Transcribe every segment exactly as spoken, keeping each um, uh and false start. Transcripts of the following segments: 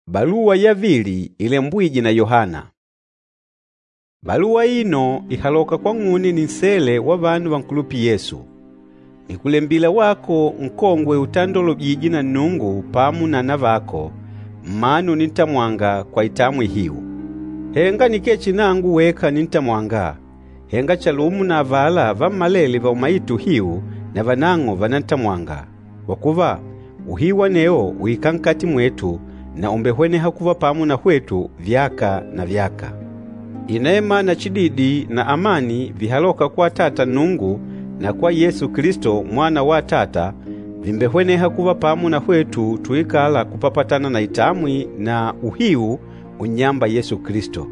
Baluwa yavili ilembwîje na Yohana. Baluwa aino ìhaloka kwang'une ninsele wa vanu vankulupîla Yesu. Nìkulembila wako nkongwe utandolwejîje na Nnungu pamo na anavako, mmanu unintamwanga kwa itamwi ihiu. Henga nikee chihi nangu weka unintamwanga, henga chalumo na avala vammalele vaumaîte uhiu navanang'o vànantamwanga, kwa kuva, uhiu anewo ùikala nkati mwetu na ùmbehweneha kuva pamo na hwetu vyaka na vyaka. Inema na chididi na amani vihalôka kwa Atata Nnungu na kwa Yesu Kilisto Mwana wa Atata, vìmbehweneha kuva pamo na hwetu tuikâla kupapatana na itamwi na uhiu unnyâmba Yesu Kilisto.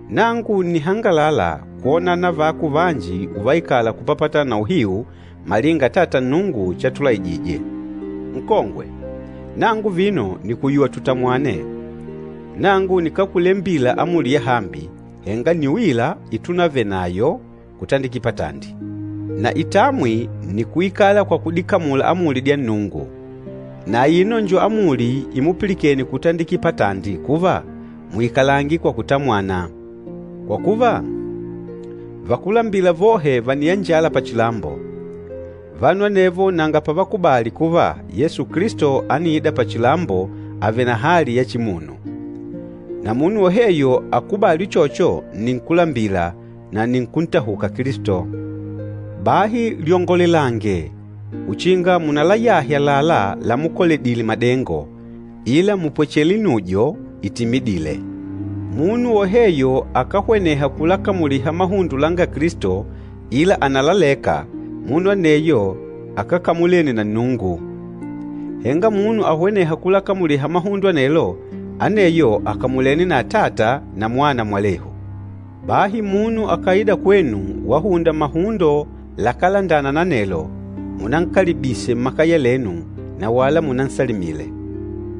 Nangu ǹnihangalala kwona anavako vanji uvaikala kupapatana na uhiu malinga Atata Nnungu chatulaijije. Nkongwe, nangu vino nìkuyuwa tutamwane. Nangu nikákulembila amuli yahambi, henga nni uila itunavenayo kutandikila patandi. Na itamwi nni kuikala kwa kudikamula amuli dya Nnungu. Na aino njo amuli imupilikene kutandikila patandi kuva, muikalange kwa kutamwana. Kwa kuva, vakúlambila vohe vàniyanjala pachilambo. Vanu anevo nanga pavakubali kuva Yesu Kilisto ániida pachilambo avèlè na hali ya chimunu. Na munu woheyo akubâli uchocho nni nkúlambila na nni nkuntahuka Kilisto. Bahi lyongolelange, uchinga munalayahe àlalá lamukoledile madengo, ila mupwechele inujo itimidîle. Munu woheyo akáhweneha kulakamuliha mahundo langa Kilisto ila ànalaleka, munu aneyo akákamulene na Nnungu. Henga munu ahwenêha kulakamuliha mahundo anelo, aneyo àkamulene na Atata na Mwana mwalehu. Bahi munu akàida kwenu wahunda mahundo lakálandana na anelo, munankalibise mmakaya lenu na wala munansalimile.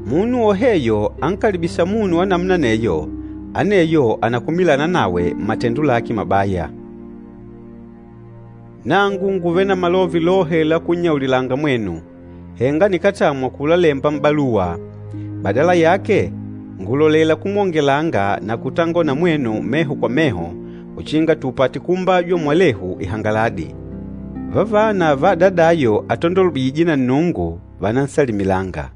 Munu woheyo ankalibîsa munu wa namuna aneyo, aneyo ànakumilana nawe mmatendo lake mabaya. Nangu ngùvele na malove lohe la kunnyaulilanga mwenu, henga nikátamwa kulalemba m'baluwa. Badala yake, ngùlolela kumwongelanga na kutangola na mwenu meho kwa meho uchinga tupate kuumbajwa mwalehu ihangaladi. Vavana va adadayo atandolwejîje na Nnungu vànansalimilanga.